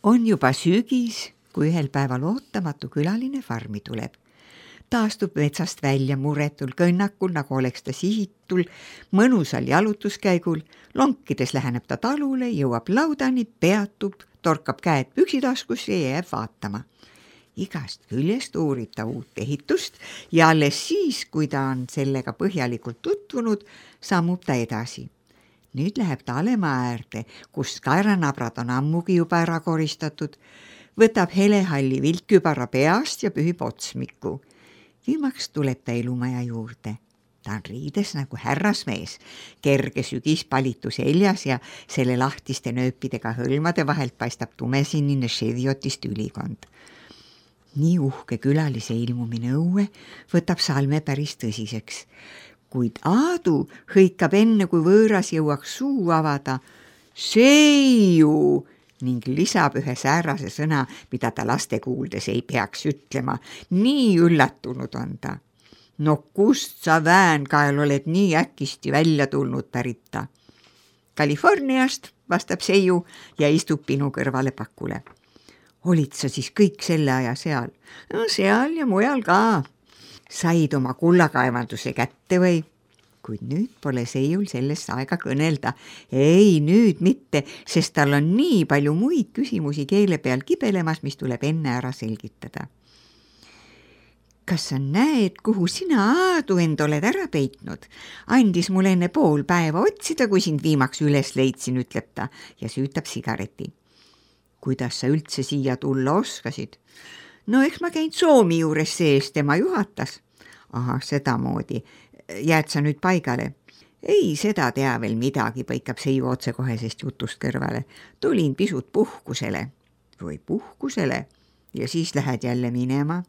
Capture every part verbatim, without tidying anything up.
On juba sügis, kui ühel päeval ootamatu külaline farmi tuleb. Ta astub metsast välja muretul kõnnakul, nagu oleks ta sihitul, mõnusal jalutuskäigul, lonkides läheneb ta talule, jõuab laudani, peatub, torkab käed püksitaskusse ja jääb vaatama. Igast küljest uurib ta uut ehitust ja alles siis, kui ta on sellega põhjalikult tutvunud, sammub ta edasi. Nüüd läheb ta alemaa äärde, kus kaeranabrad on ammugi juba ära koristatud, võtab helehalli viltkübara peast ja pühib otsmiku. Viimaks tuleb ta elumaja juurde. Ta on riides nagu härrasmees, kerge sügispalitu seljas ja selle lahtiste nööpidega hõlmade vahelt paistab tumesinine ševiotist ülikond. Nii uhke külalise ilmumine õue võtab Salme päris tõsiseks, kuid Aadu hõikab enne, kui võõras jõuaks suu avada Seiu ning lisab ühe säärase sõna, mida ta laste kuuldes ei peaks ütlema. Nii üllatunud on ta. No kust sa väänkael oled nii äkisti välja tulnud, pärit ta? Californiast, vastab Seiu ja istub Pinu kõrvale pakule. Olid sa siis kõik selle aja seal? No seal ja mujal ka. Said oma kullakaevanduse kätte või? Kuid nüüd pole Seiul sellest aega kõnelda. Ei, nüüd mitte, sest tal on nii palju muid küsimusi keele peal kibelemas, mis tuleb enne ära selgitada. Kas sa näed, kuhu sina, Aadu, end oled ära peitnud? Andis mul enne pool päeva otsida, kui sind viimaks üles leidsin, ütleb ta ja süütab sigareti. Kuidas sa üldse siia tulla oskasid? No eks ma käin Soomi juures sees, tema juhatas. Aha, sedamoodi. Jääd sa nüüd paigale? Ei, seda tea veel midagi, põikab Seiu otsekohesest jutust kõrvale. Tulin pisut puhkusele. Või puhkusele? Ja siis lähed jälle minema?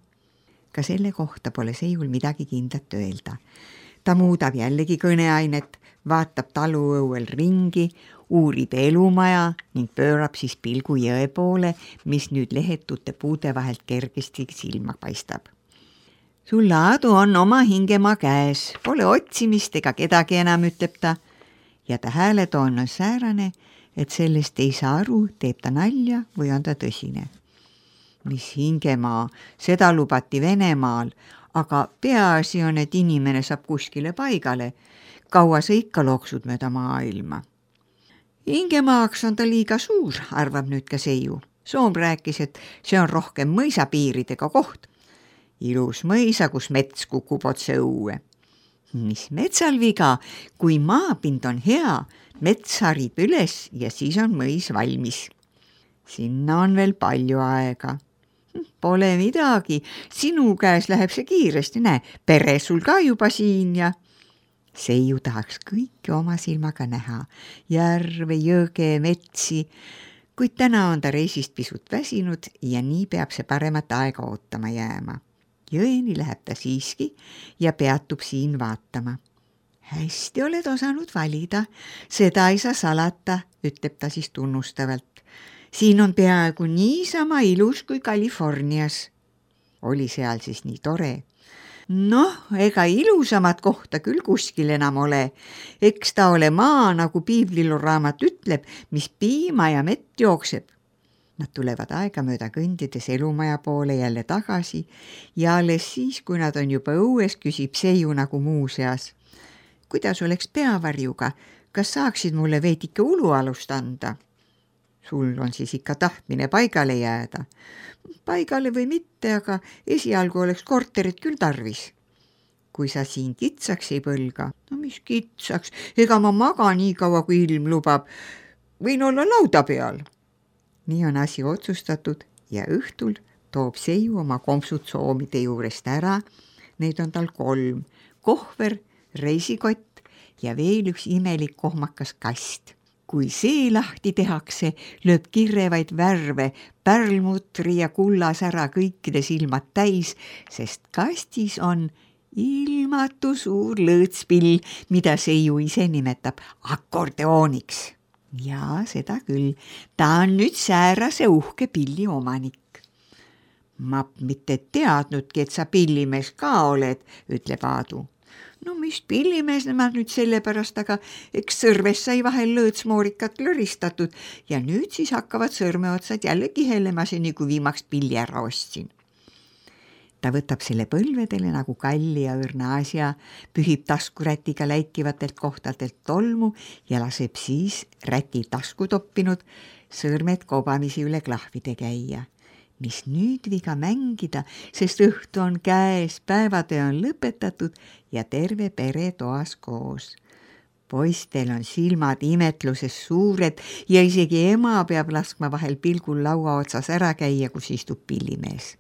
Ka selle kohta pole Seiul midagi kindlat öelda. Ta muudab jällegi kõneainet, vaatab taluõuel ringi, uurib elumaja ning pöörab siis pilgu jõe poole, mis nüüd lehetute puude vahelt kergesti silma paistab. Sul, Aadu, on oma hingemaa käes, pole otsimist ega kedagi enam, ütleb ta. Ja ta hääletoon on säärane, et sellest ei saa aru, teeb ta nalja või on ta tõsine. Mis hingemaa, seda lubati Venemaal, aga peaasi on, et inimene saab kuskile paigale. Kaua sa ikka loksud mööda maailma? Hingemaaks on ta liiga suur, arvab nüüd ka Seiu. Soom rääkis, et see on rohkem mõisapiiridega koht. Ilus mõisa, kus mets kukub otse õue. Mis metsal viga, kui maapind on hea, mets harib üles ja siis on mõis valmis. Sinna on veel palju aega. Pole midagi, sinu käes läheb see kiiresti, näe, pere sul ka juba siin ja... Seiu tahaks kõike oma silmaga näha, järve, jõge, metsi, kuid täna on ta reisist pisut väsinud ja nii peab see paremat aega ootama jääma. Jõeni läheb ta siiski ja peatub siin vaatama. Hästi oled osanud valida, seda ei saa salata, ütleb ta siis tunnustavalt. Siin on peaaegu niisama ilus kui Californias. Oli seal siis nii tore. Noh, ega ilusamat kohta küll kuskil enam ole. Eks ta ole maa, nagu piibliluraamat ütleb, mis piima ja mett jookseb. Nad tulevad aega mööda kõndides elumaja poole jälle tagasi ja alles siis, kui nad on juba õues, küsib Seiu nagu muuseas. Kuidas oleks peavarjuga? Kas saaksid mulle veidike ulualust anda? Sul on siis ikka tahtmine paigale jääda. Paigale või mitte, aga esialgu oleks korterit küll tarvis. Kui sa siin kitsaks ei põlga, no mis kitsaks, ega ma maga nii kaua, kui ilm lubab. Võin olla lauda peal. Nii on asi otsustatud ja õhtul toob Seiu oma kompsud soomide juurest ära. Neid on tal kolm. Kohver, reisikott ja veel üks imelik kohmakas kast. Kui see lahti tehakse, lööb kirrevaid värve, pärlmutri ja kullasära kõikide silmad täis, sest kastis on ilmatu suur lõõtspill, mida Seiu ise nimetab akordeooniks. Jaa, seda küll. Ta on nüüd säärase uhke pilli omanik. Ma mitte teadnudki, et sa pillimees ka oled, ütleb Aadu. no mis pillimees nemad nüüd sellepärast, aga eks sõrves sai vahel lõõtsmoorikat lõristatud ja nüüd siis hakkavad sõrmeotsad jälle kihelema seni, kui viimaks pilli ära ostsin. Ta võtab selle põlvedele nagu kalli ja õrna asja, pühib taskurätiga läikivatelt kohtadelt tolmu ja laseb siis räti tasku toppinud sõrmed kobamisi üle klahvide käia. Mis nüüd viga mängida, sest õhtu on käes, päevatöö on lõpetatud ja terve pere toas koos. Poistel on silmad imetluses suured ja isegi ema peab laskma vahel pilgul laua otsas ära käia, kus istub pillimees.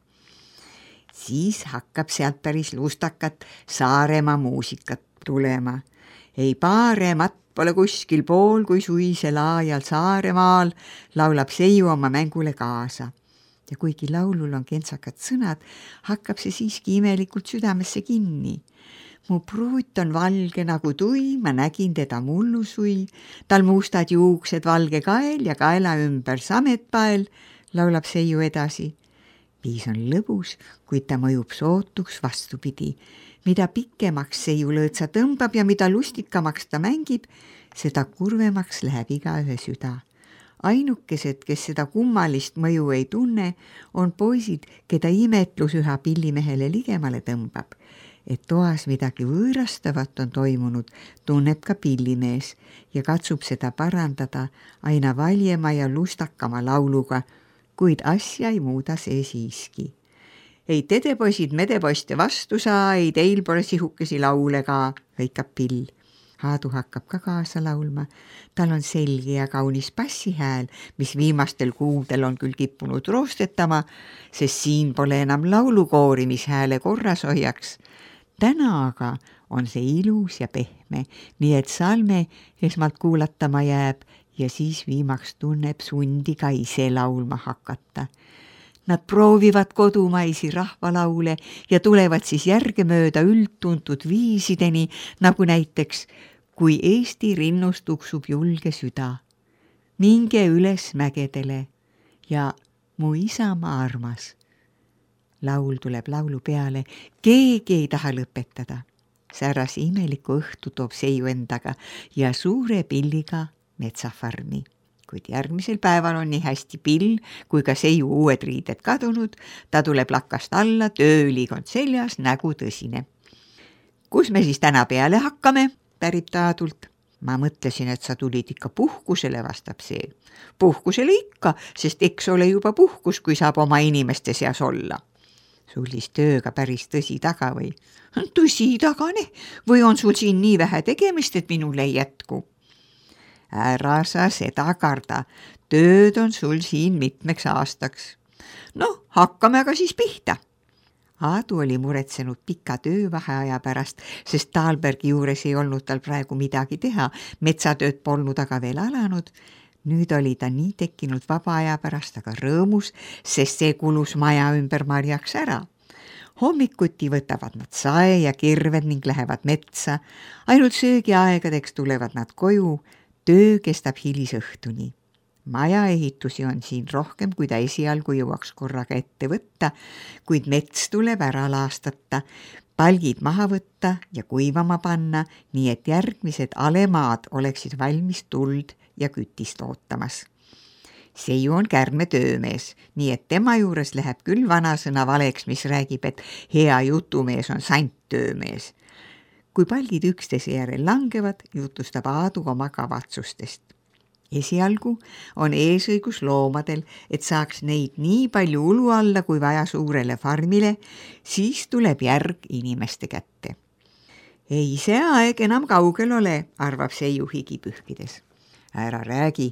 Siis hakkab sealt päris lustakat Saaremaa muusikat tulema. Ei paaremat pole kuskil pool, kui suisel aajal Saaremaal laulab Seiu oma mängule kaasa. Ja kuigi laulul on kentsakad sõnad, hakkab see siiski imelikult südamesse kinni. Mu pruut on valge nagu tui, ma nägin teda mullusui, tal mustad juuksed, valge kael ja kaela ümber sametpael, laulab Seiu edasi. Viis on lõbus, kuid ta mõjub sootuks vastupidi. Mida pikemaks Seiu lõõtsa tõmbab ja mida lustikamaks ta mängib, seda kurvemaks läheb igaühe süda. Ainukesed, kes seda kummalist mõju ei tunne, on poisid, keda imetlus üha pillimehele ligemale tõmbab. Et toas midagi võõrastavat on toimunud, tunneb ka pillimees ja katsub seda parandada aina valjema ja lustakama lauluga, kuid asja ei muuda see siiski. Ei tedepoisid medepoiste vastu saa, ei teil pole sihukesi laule ka, hõikab pill. Aadu hakkab ka kaasa laulma. Tal on selge ja kaunis bassihääl, mis viimastel kuudel on küll kippunud roostetama, sest siin pole enam laulukoori, mis hääle korras hoiaks. Täna aga on see ilus ja pehme, nii et salme esmalt kuulatama jääb ja siis viimaks tunneb sundi ka ise laulma hakata. Nad proovivad kodumaisi rahvalaule ja tulevad siis järgemööda üldtuntud viisideni, nagu näiteks kui Eesti rinnust tuksub julge süda, minge üles mägedele ja mu isamaa armas. Laul tuleb laulu peale, keegi ei taha lõpetada. Säärase imeliku õhtu toob Seiu endaga ja suure pilliga metsafarmi. Kuid järgmisel päeval on nii hästi pill kui ka Seiu uued riided kadunud, ta tuleb lakast alla, tööülikond seljas, nägu tõsine. Kus me siis täna peale hakkame? Pärib ta Aadult. Ma mõtlesin, et sa tulid ikka puhkusele, vastab see. Puhkusele ikka, sest eks ole juba puhkus, kui saab oma inimeste seas olla. Sul siis tööga päris tõsi taga või? Tõsi tagane, või on sul siin nii vähe tegemist, et minul ei jätku? Ära sa seda karda, tööd on sul siin mitmeks aastaks. No, hakkame aga siis pihta. Aadu oli muretsenud pika töövaheaja pärast, sest Taalbergi juures ei olnud tal praegu midagi teha, metsatööd polnud aga veel alanud. Nüüd oli ta nii tekkinud vaba aja pärast aga rõõmus, sest see kulus maja ümber marjaks ära. Hommikuti võtavad nad sae ja kirved ning lähevad metsa, ainult söögiaegadeks tulevad nad koju, töö kestab hilisõhtuni. Maja ehitusi on siin rohkem, kui ta esialgu jõuaks korraga ette võtta, kuid mets tuleb ära laastata, palgid maha võtta ja kuivama panna, nii et järgmised alemaad oleksid valmis tuld ja kütist ootamas. Seiu on kärme töömees, nii et tema juures läheb küll vanasõna valeks, mis räägib, et hea jutumees on sant töömees. Kui palgid üksteise järel langevad, jutustab Aadu oma kavatsustest. Esialgu on eesõigus loomadel, et saaks neid nii palju ulu alla kui vaja suurele farmile, siis tuleb järg inimeste kätte. Ei see aeg enam kaugel ole, arvab Seiu higipühkides. Ära räägi,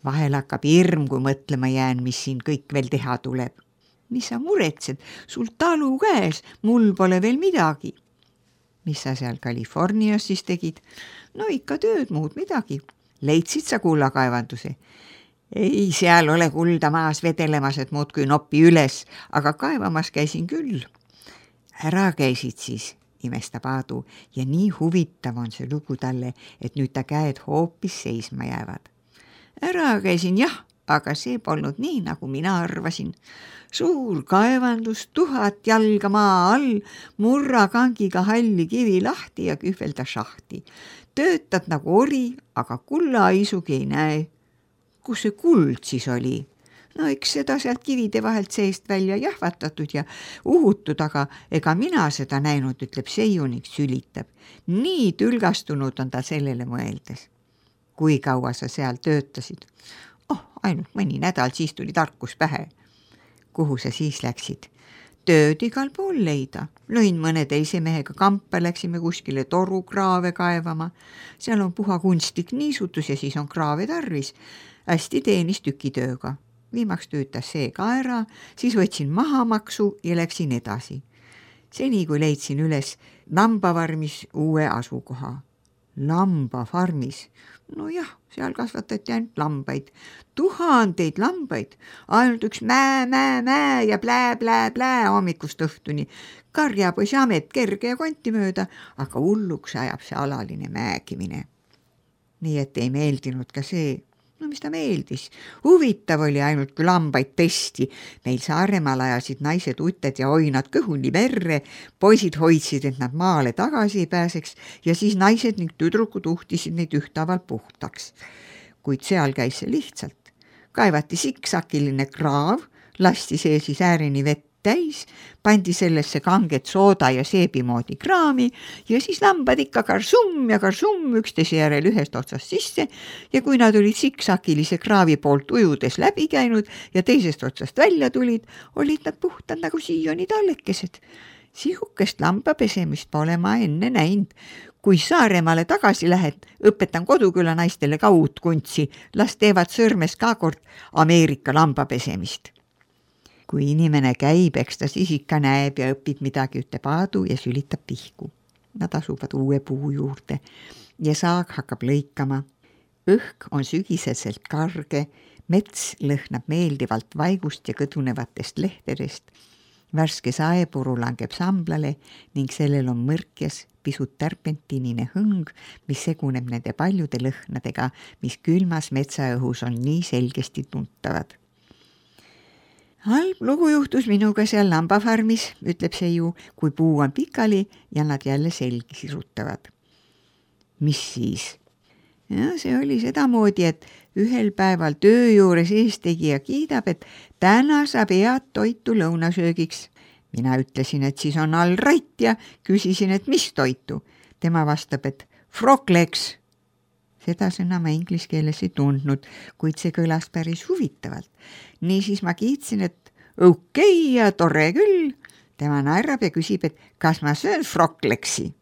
vahel hakkab hirm, kui mõtlema jään, mis siin kõik veel teha tuleb. Mis sa muretsed, sul talu käes, mul pole veel midagi. Mis sa seal Californias siis tegid? No ikka tööd, muud midagi. Leidsid sa kullakaevanduse? Ei, seal ole kulda maas vedelemas, et muudkui noppi üles, aga kaevamas käisin küll. Ära käisid siis, imestab Aadu, ja nii huvitav on see lugu talle, et nüüd ta käed hoopis seisma jäävad. Ära käisin jah, aga see polnud nii, nagu mina arvasin. Suur kaevandus, tuhat jalga maa all, murra kangiga halli kivi lahti ja kühvelda šahti. Töötad nagu ori, aga kulla isugi ei näe. Kus see kuld siis oli? No eks seda sealt kivide vahelt seest välja jahvatatud ja uhutud, aga ega mina seda näinud, ütleb Seiu ning sülitab. Nii tülgastunud on ta sellele mõeldes. Kui kaua sa seal töötasid? Oh, ainult mõni nädal, siis tuli tarkus pähe. Kuhu sa siis läksid? Tööd igal pool leida. Lõin mõne teise mehega kampa, läksime kuskile torukraave kaevama. Seal on puha kunstlik niisutus ja siis on kraave tarvis. Hästi teenis tükitööga. Viimaks töötas see ka ära, siis võtsin mahamaksu ja läksin edasi. Seni, kui leidsin üles lambafarmis uue asukoha. Lambafarmis? No jah, seal kasvatati ainult lambaid. Tuhandeid lambaid. Ainult üks mää, mää, mää ja plää, plää, plää hommikust õhtuni. Karjapoisi amet kerge ja konti mööda, aga hulluks ajab see alaline määgimine. Nii et ei meeldinud ka see. No mis ta meeldis? Huvitav oli ainult, kui lambaid pesti. Meil Saaremaal ajasid naised uted ja oinad kõhuni verre. Poisid hoidsid, et nad maale tagasi ei pääseks ja siis naised ning tüdrukud uhtisid neid ühtavalt puhtaks. Kuid seal käis see lihtsalt. Kaevati siksakiline kraav, lasti see siis äärini vett täis, pandi sellesse kanget sooda ja seebimoodi kraami ja siis lambad ikka karsum ja karsum üksteise järel ühest otsast sisse ja kui nad olid siksakilise kraavi poolt ujudes läbi käinud ja teisest otsast välja tulid, olid nad puhtad nagu siioni tallekesed. Sihukest lambapesemist pole ma enne näinud. Kui Saaremaale tagasi lähed, õpetan Koduküla naistele ka uut kuntsi, las teevad sõrmes ka kord Ameerika lambapesemist. Kui inimene käib, eks ta siis ikka näeb ja õpib midagi, ütleb Aadu ja sülitab pihku. Nad asuvad uue puu juurde ja saag hakkab lõikama. Õhk on sügiseselt karge, mets lõhnab meeldivalt vaigust ja kõdunevatest lehtedest. Värske saepuru langeb samblale ning sellel on mõrkjas pisut terpentinine hõng, mis seguneb nende paljude lõhnadega, mis külmas metsaõhus on nii selgesti tuntavad. Halb lugu juhtus minuga seal lambafarmis, ütleb Seiu, kui puu on pikali ja nad jälle selgi sirutavad. Mis siis? Ja, see oli sedamoodi, et ühel päeval töö juures eestegija kiidab, et täna saab head toitu lõunasöögiks. Mina ütlesin, et siis on all rait ja küsisin, et mis toitu. Tema vastab, et frogleks. Seda sõna ma inglise keeles ei tundnud, kuid see kõlas päris huvitavalt. Nii siis ma kiitsin, et okei ja tore küll. Tema naerab ja küsib, et kas ma söön frogleksi.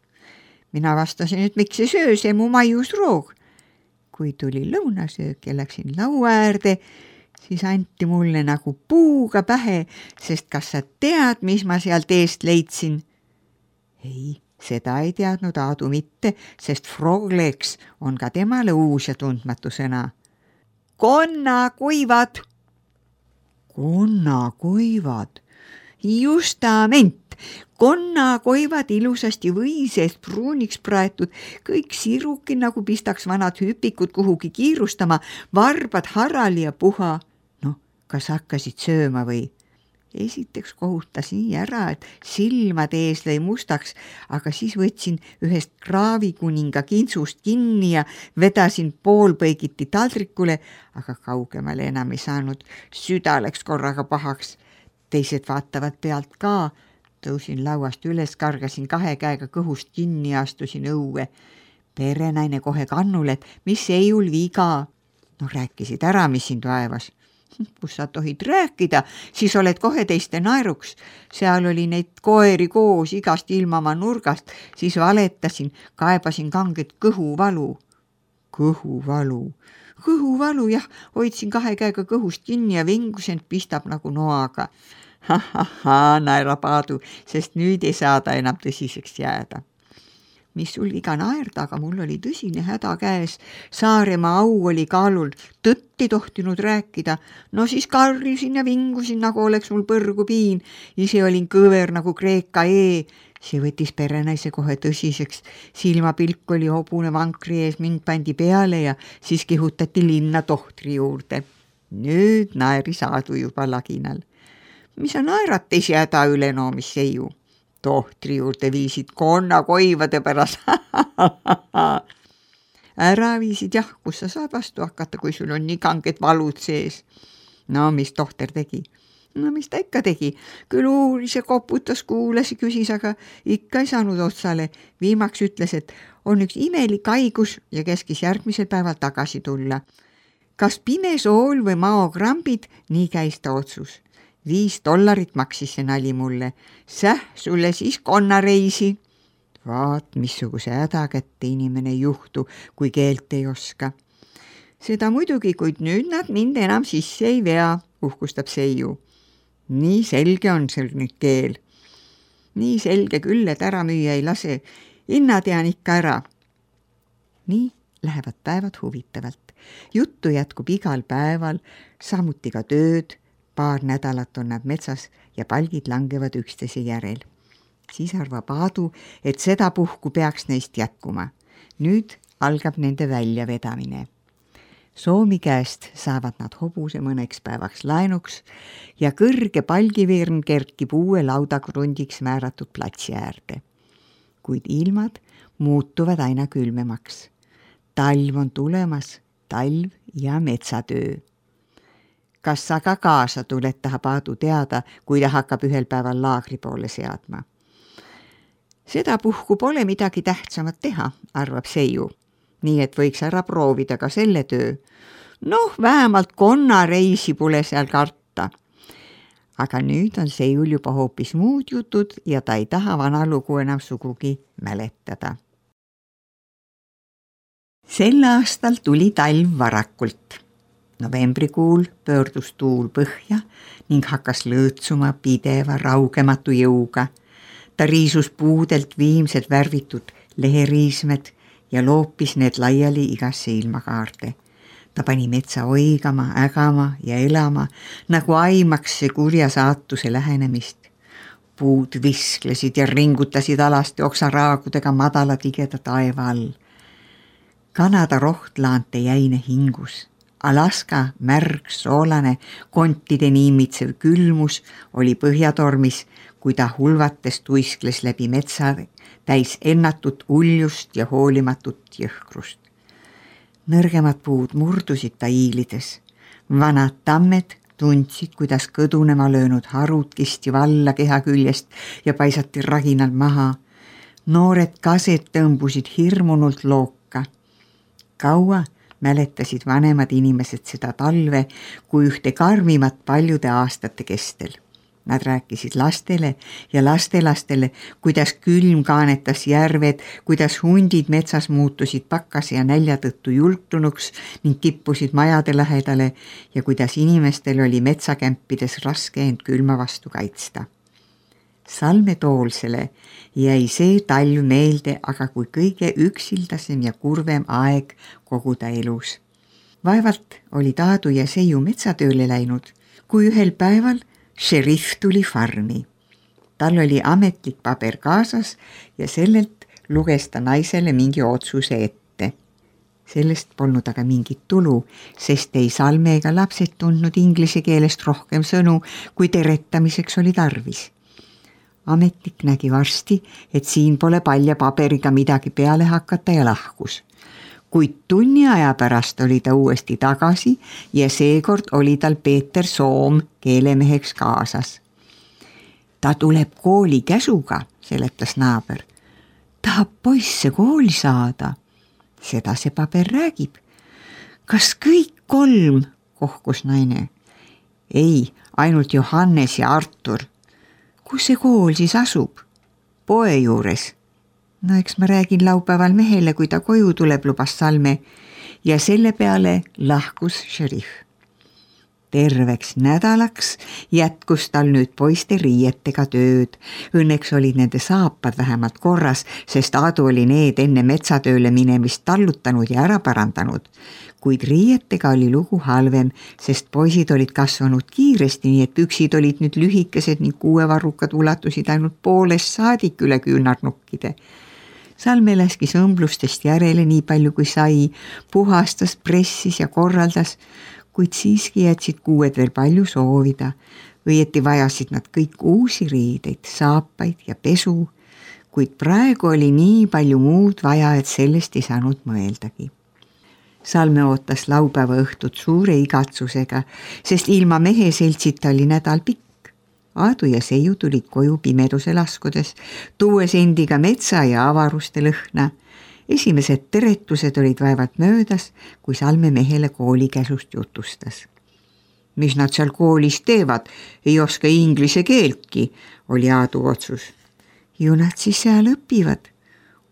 Mina vastasin, et miks ei söö, see mu maiusroog. Kui tuli lõunasöök ja läksin laua äärde, siis anti mulle nagu puuga pähe, sest kas sa tead, mis ma sealt eest leidsin? Ei. Seda ei teadnud Aadu mitte, sest frogleks on ka temale uus ja tundmatu sõna. Konnakuivad. Konnakuivad. Justament. Konnakuivad ilusasti või seest pruuniks praetud, kõik siruki nagu pistaks vanad hüpikud kuhugi kiirustama, varbad harali ja puha. No, kas hakkasid sööma või? Esiteks kohutas nii ära, et silmad ees lõi mustaks, aga siis võtsin ühest kraavikuninga kintsust kinni ja vedasin poolpõigiti taldrikule, aga kaugemale enam ei saanud. Süda läks korraga pahaks. Teised vaatavad pealt ka. Tõusin lauast üles, kargasin kahe käega kõhust kinni ja astusin õue. Perenaine kohe kannule, et mis Seiul viga. No rääkisid ära, mis sind vaevas. Kus sa tohid rääkida, siis oled kohe teiste naeruks. Seal oli neid koeri koos igast ilmama nurgast, siis valetasin, kaebasin kanget kõhuvalu. Kõhuvalu. Kõhuvalu, jah, hoidsin kahe käega kõhust kinni ja vingusen pistab nagu noaga. Ha-ha-ha, naerab Aadu, sest nüüd ei saa ta enam tõsiseks jääda. Mis sul viga naerda, aga mul oli tõsine häda käes. Saaremaa au oli kaalul, tõtt ei tohtinud rääkida. No siis karjusin ja vingusin, nagu oleks mul põrgu piin. Ise olin kõver nagu Kreeka E. See võttis perenaise kohe tõsiseks. Silmapilk oli hobune vankri ees, mind pandi peale ja siis kihutati linna tohtri juurde. Nüüd naeris Aadu juba laginal. Mis sa naerad teisi häda üle, no mis Seiu? Tohtri juurde viisid konna koivade pärast. Ära viisid jah, kus sa saad vastu hakata, kui sul on nii kanged valud sees. No mis tohter tegi? No mis ta ikka tegi? Küll uuris ja koputas, kuulas ja küsis, aga ikka ei saanud otsale. Viimaks ütles, et on üks imelik haigus ja keskis järgmisel päeval tagasi tulla. Kas pimesool või maogrambid, nii käis ta otsus. Viis dollarit maksis see nali mulle. Säh, sulle siis konnareisi. Vaat, missuguse häda kätte inimene ei juhtu, kui keelt ei oska. Seda muidugi, kuid nüüd nad mind enam sisse ei vea, uhkustab Seiu. Nii selge on seal nüüd keel. Nii selge küll, et ära müüa ei lase. Inna tean ikka ära. Nii lähevad päevad huvitavalt. Juttu jätkub igal päeval, samuti ka tööd. Paar nädalat on nad metsas ja palgid langevad üksteise järel. Siis arvab Aadu, et seda puhku peaks neist jätkuma. Nüüd algab nende väljavedamine. Soomi käest saavad nad hobuse mõneks päevaks laenuks ja kõrge palgivirn kerkib uue laudakrundiks määratud platsi äärde. Kuid ilmad muutuvad aina külmemaks. Talv on tulemas, talv ja metsatöö. Kas sa ka kaasa tuled, tahab Aadu teada, kui ta hakkab ühel päeval laagri poole seadma. Seda puhku pole midagi tähtsamat teha, arvab Seiu. Nii et võiks ära proovida ka selle töö. Noh, vähemalt konnareisi pole seal karta. Aga nüüd on Seiul juba hoopis muud jutud ja ta ei taha vana lugu enam sugugi mäletada. Sel aastal tuli talv varakult. Novembrikuul pöördus tuul põhja ning hakkas lõõtsuma pideva raugematu jõuga. Ta riisus puudelt viimsed värvitud leheriismed ja loopis need laiali igasse ilmakaarde. Ta pani metsa oigama, ägama ja elama, nagu aimaks see kurja saatuse lähenemist. Puud visklesid ja ringutasid alasti oksaraagudega madala tigeda taeva all. Kanada rohtlaante jäine hingus. Alaska märg, soolane, kontide niimitsev külmus oli põhjatormis, kui ta hulvates tuiskles läbi metsa täis ennatut uljust ja hoolimatut jõhkrust. Nõrgemad puud murdusid ta iilides. Vanad tammed tundsid, kuidas kõdunema löönud harud kisti valla keha küljest ja paisati raginal maha. Noored kased tõmbusid hirmunult looka. Kaua mäletasid vanemad inimesed seda talve kui ühte karmimat paljude aastate kestel. Nad rääkisid lastele ja lastelastele, kuidas külm kaanetas järved, kuidas hundid metsas muutusid pakkase ja nälja tõttu jultunuks ning kippusid majade lähedale ja kuidas inimestel oli metsakämpides raske end külma vastu kaitsta. Salme Toolsele jäi see talv meelde aga kui kõige üksildasem ja kurvem aeg kogu ta elus. Vaevalt oli Aadu ja Seiu metsatööle läinud, kui ühel päeval šerif tuli farmi. Tal oli ametlik paber kaasas ja sellelt luges ta naisele mingi otsuse ette. Sellest polnud aga mingit tulu, sest ei Salme ega lapsed tundnud inglise keelest rohkem sõnu, kui teretamiseks oli tarvis. Ametnik nägi varsti, et siin pole palja paberiga midagi peale hakata ja lahkus. Kuid tunni aja pärast oli ta uuesti tagasi ja seekord oli tal Peeter Soom keelemeheks kaasas. Ta tuleb kooli käsuga, seletas naaber. Tahab poisse kooli saada. Seda see paber räägib. Kas kõik kolm, kohkus naine? Ei, ainult Johannes ja Artur. Kus see kool siis asub? Poe juures. No eks ma räägin laupäeval mehele, kui ta koju tuleb, lubas Salme ja selle peale lahkus šerif. Terveks nädalaks jätkus tal nüüd poiste riietega tööd. Õnneks olid nende saapad vähemalt korras, sest Aadu oli need enne metsatööle minemist tallutanud ja ära parandanud. Kuid riietega oli lugu halvem, sest poisid olid kasvanud kiiresti, nii et püksid olid nüüd lühikesed ning kuuevarrukad ulatusid ainult poolest saadik üle küünarnukkide. Salme läskis õmblustest järele nii palju kui sai, puhastas, pressis ja korraldas, kuid siiski jätsid kuued veel palju soovida. Õieti vajasid nad kõik uusi riideid, saapaid ja pesu, kuid praegu oli nii palju muud vaja, et sellest ei saanud mõeldagi. Salme ootas laupäeva õhtut suure igatsusega, sest ilma mehe seltsita oli nädal pikk. Aadu ja Seiu tulid koju pimeduse laskudes, tuues endiga metsa ja avaruste lõhna. Esimesed teretused olid vaevalt möödas, kui Salme mehele koolikäsust jutustas. Mis nad seal koolis teevad, ei oska inglise keeltki, oli Aadu otsus. Ju nad siis seal õpivad.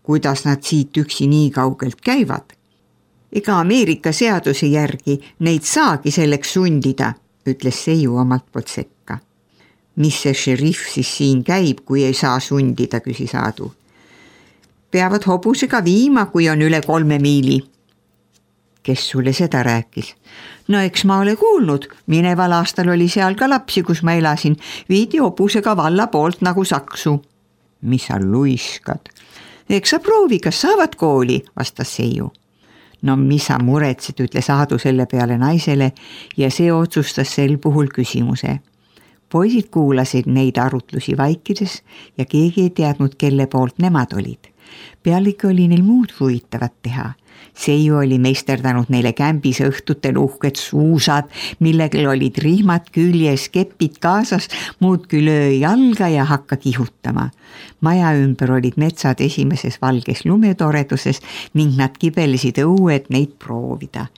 Kuidas nad siit üksi nii kaugelt käivad? Ega Ameerika seaduse järgi neid saagi selleks sundida, ütles Seiu omalt poolt sekka. Mis see šerif siis siin käib, kui ei saa sundida, küsis Aadu. Peavad hobusega viima, kui on üle kolme miili. Kes sulle seda rääkis? No eks ma ole kuulnud, mineval aastal oli seal ka lapsi, kus ma elasin, viidi hobusega valla poolt nagu saksu. Mis sa luiskad? Eks sa proovi, kas saavad kooli, vastas Seiu. No mis sa muretsid, ütles Aadu selle peale naisele ja see otsustas sel puhul küsimuse. Poisid kuulasid neid arutlusi vaikides ja keegi ei teadnud, kelle poolt nemad olid. Pealegi oli neil muud huvitavat teha. Seiu oli meisterdanud neile kämbis õhtutel uhked suusad, millegel olid rihmad küljes, kepid kaasas, muud küll öö jalga ja hakka kihutama. Maja ümber olid metsad esimeses valges lumetoreduses ning nad kibelesid õue, et neid proovida.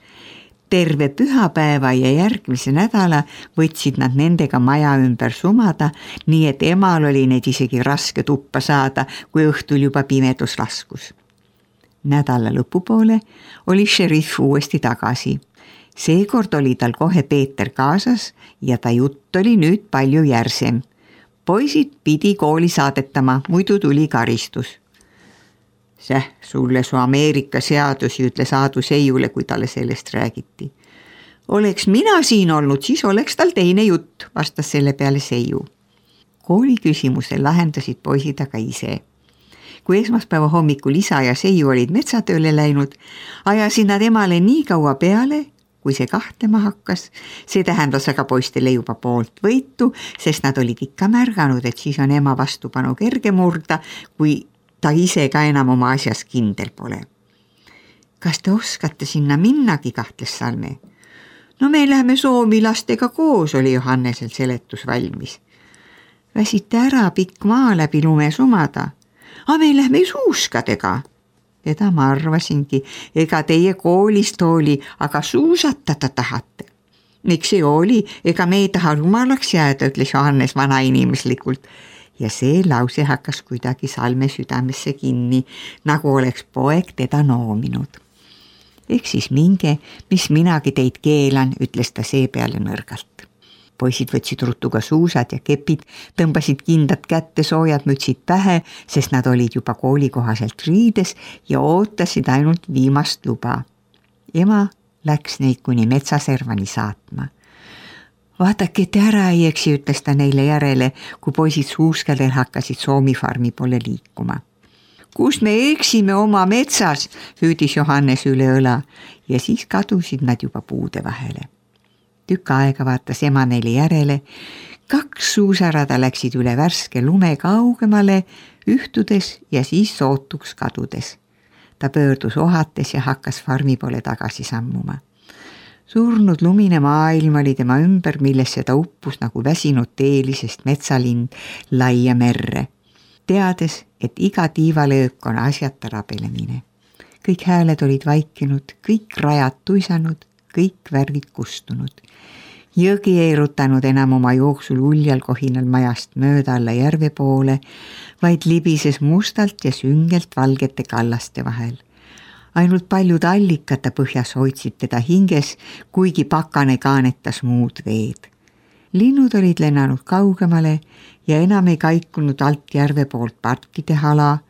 Terve pühapäeva ja järgmise nädala võtsid nad nendega maja ümber sumada, nii et emal oli neid isegi raske tuppa saada, kui õhtul juba pimedus laskus. Nädala lõpupoole oli šerif uuesti tagasi. Seekord oli tal kohe Peeter kaasas ja ta jutt oli nüüd palju järsem. Poisid pidi kooli saadetama, muidu tuli karistus. Säh, sulle su Ameerika seadusi, ütles Aadu Seiule, kui talle sellest räägiti. Oleks mina siin olnud, siis oleks tal teine jutt, vastas selle peale Seiu. Kooli küsimuse lahendasid poisid aga ise. Kui esmaspäeva hommikul isa ja Seiu olid metsatööle läinud, ajasid nad emale nii kaua peale, kui see kahtlema hakkas. See tähendas aga poistele juba poolt võitu, sest nad olid ikka märganud, et siis on ema vastupanu kerge murda, kui ta ise ka enam oma asjas kindel pole. Kas te oskate sinna minnagi, kahtles Salme? No me läheme Soomi lastega koos, oli Johannesel seletus valmis. Väsite ära pikk maa läbi lume sumada. A me lähme suuskadega. Seda ma arvasingi, ega teie koolist oli, aga suusatada tahate. Miks see oli, ega me ei taha rumalaks jääda, ütles Johannes vanainimeslikult. Ja see lause hakkas kuidagi Salme südamesse kinni, nagu oleks poeg teda noominud. Ehk siis minge, mis minagi teid keelan, ütles ta see peale nõrgalt. Poisid võtsid ruttuga suusad ja kepid, tõmbasid kindad kätte, soojad mütsid pähe, sest nad olid juba koolikohaselt riides ja ootasid ainult viimast luba. Ema läks neid kuni metsaservani saatma. Vaadake, et ära ei eksi, ütles ta neile järele, kui poisid suuskadel hakkasid Soomi farmi poole liikuma. Kus me eksime oma metsas, hüüdis Johannes üle õla ja siis kadusid nad juba puude vahele. Tükk aega vaatas ema neile järele, kaks suusarada läksid üle värske lume kaugemale, ühtudes ja siis sootuks kadudes. Ta pöördus ohates ja hakkas farmi poole tagasi sammuma. Surnud lumine maailm oli tema ümber, millesse ta uppus nagu väsinud teelisest metsalind laia merre, teades, et iga tiivalöök on asjata rabelemine. Kõik hääled olid vaikinud, kõik rajad tuisanud, kõik värvid kustunud. Jõgi ei rutanud enam oma jooksul uljal kohinal majast mööda alla järve poole, vaid libises mustalt ja süngelt valgete kallaste vahel. Ainult paljud allikate põhjas hoidsid teda hinges, kuigi pakane kaanetas muud veed. Linnud olid lennanud kaugemale ja enam ei kaikunud alt järve poolt parkide hala,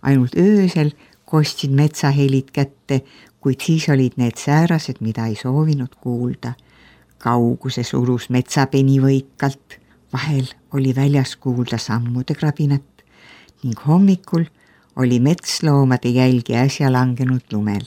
ainult öösel kostsid metsahelid kätte, kuid siis olid need säärased, mida ei soovinud kuulda. Kauguses urus metsapeni võikalt, vahel oli väljas kuulda sammude krabinat ning hommikul oli metsloomade jälgi äsja langenud lumel.